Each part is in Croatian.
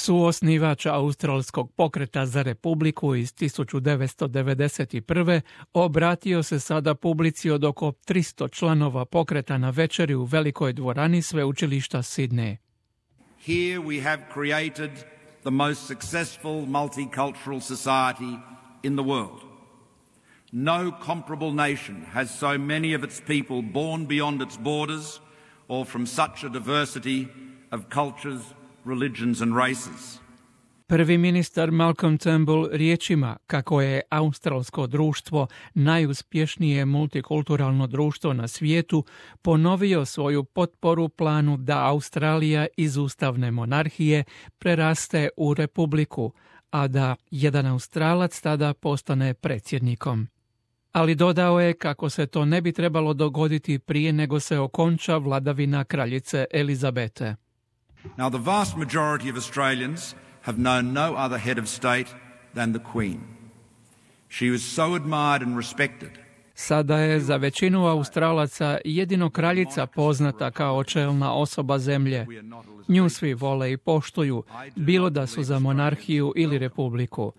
Suosnivač australskog pokreta za republiku iz 1991. obratio se sada publici od oko 300 članova pokreta na večeri u velikoj dvorani sveučilišta Sidney. Here we have created the most successful multicultural society in the world. No comparable nation has so many of its people born beyond its borders or from such a diversity of cultures, religions and races. Prvi ministar Malcolm Turnbull riječima kako je australsko društvo najuspješnije multikulturalno društvo na svijetu ponovio svoju potporu planu da Australija iz ustavne monarhije preraste u republiku, a da jedan Australac tada postane predsjednikom. Ali dodao je kako se to ne bi trebalo dogoditi prije nego se okonča vladavina kraljice Elizabete. Now the vast majority of Australians have known no other head of state than the Queen. She was so admired and respected. Sada je za većinu Australaca jedino kraljica poznata kao čelna osoba zemlje. Nju svi vole i poštuju, bilo da su za monarhiju ili republiku.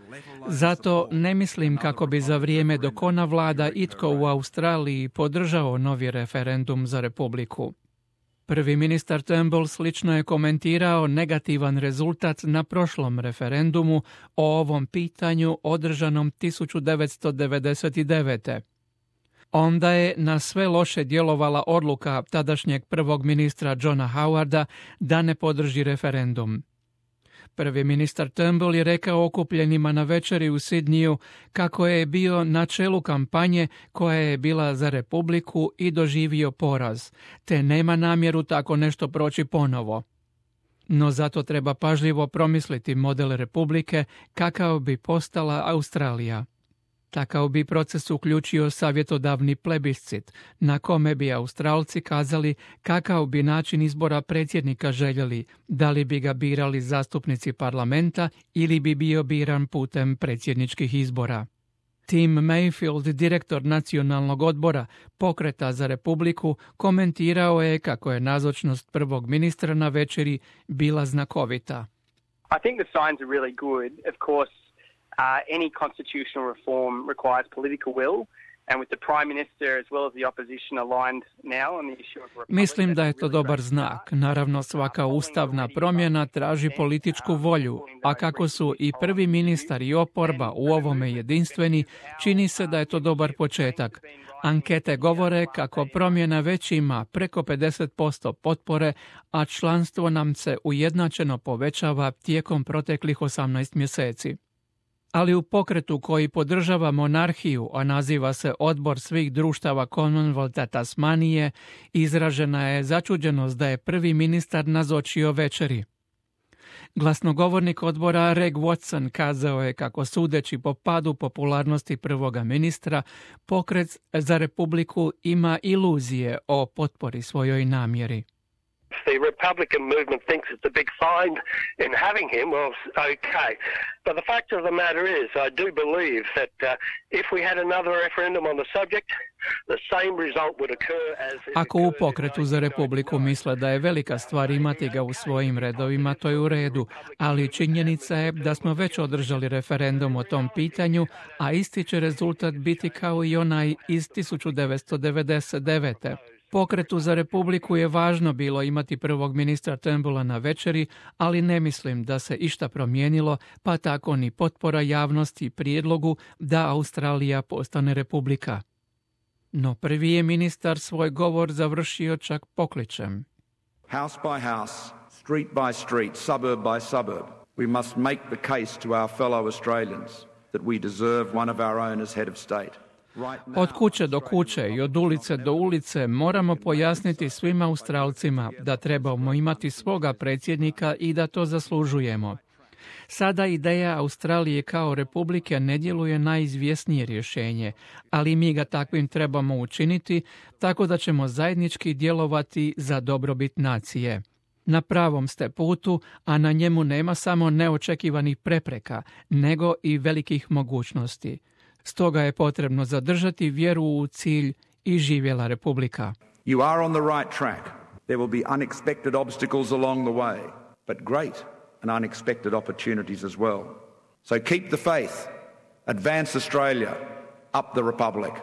Zato ne mislim kako bi za vrijeme dok ona vlada itko u Australiji podržao novi referendum za republiku. Prvi ministar Turnbull slično je komentirao negativan rezultat na prošlom referendumu o ovom pitanju održanom 1999. Onda je na sve loše djelovala odluka tadašnjeg prvog ministra Johna Howarda da ne podrži referendum. Prvi ministar Turnbull je rekao okupljenima na večeri u Sidneyu kako je bio na čelu kampanje koja je bila za republiku i doživio poraz, te nema namjeru tako nešto proći ponovo. No zato treba pažljivo promisliti model republike kakav bi postala Australija. Takav bi proces uključio savjetodavni plebiscit, na kome bi Australci kazali kakav bi način izbora predsjednika željeli, da li bi ga birali zastupnici parlamenta ili bi bio biran putem predsjedničkih izbora. Tim Mayfield, direktor nacionalnog odbora Pokreta za republiku, komentirao je kako je nazočnost prvog ministra na večeri bila znakovita. I think the signs are really good. Of course, any constitutional reform requires political will, and with the Prime Minister as well as the opposition aligned now on the issue of republic. Mislim da je to dobar znak. Naravno, svaka ustavna promjena traži političku volju, a kako su i prvi ministar i oporba u ovome jedinstveni, čini se da je to dobar početak. Ankete govore kako promjena već ima preko 50% potpore, a članstvo nam se ujednačeno povećava tijekom proteklih 18 mjeseci. Ali u pokretu koji podržava monarhiju, a naziva se Odbor svih društava Commonwealtha Tasmanije, izražena je začuđenost da je prvi ministar nazočio večeri. Glasnogovornik odbora Reg Watson kazao je kako sudeći po padu popularnosti prvoga ministra, pokret za republiku ima iluzije o potpori svojoj namjeri. The Republican movement thinks it's a big find in having him. Well, okay. But the fact of the matter is, I do believe that if we had another referendum on the subject, the same result would occur as... Ako u pokretu za republiku misle da je velika stvar imati ga u svojim redovima, to je u redu, ali činjenica je da smo već održali referendum o tom pitanju, a isti će rezultat biti kao i onaj iz 1999. Pokretu za republiku je važno bilo imati prvog ministra Turnbulla na večeri, ali ne mislim da se išta promijenilo, pa tako ni potpora javnosti prijedlogu da Australija postane republika. No prvi je ministar svoj govor završio čak pokličem. House by house, street by street, suburb by suburb, we must make the case to our fellow Australians that we deserve one of our own as head of state. Od kuće do kuće i od ulice do ulice moramo pojasniti svim Australcima da trebamo imati svoga predsjednika i da to zaslužujemo. Sada ideja Australije kao republike ne djeluje najizvjesnije rješenje, ali mi ga takvim trebamo učiniti tako da ćemo zajednički djelovati za dobrobit nacije. Na pravom ste putu, a na njemu nema samo neočekivanih prepreka, nego i velikih mogućnosti. Stoga je potrebno zadržati vjeru u cilj i živjela republika. You are on the right track. There will be unexpected obstacles along the way, but great and unexpected opportunities as well. So keep the faith, advance Australia, up the Republic.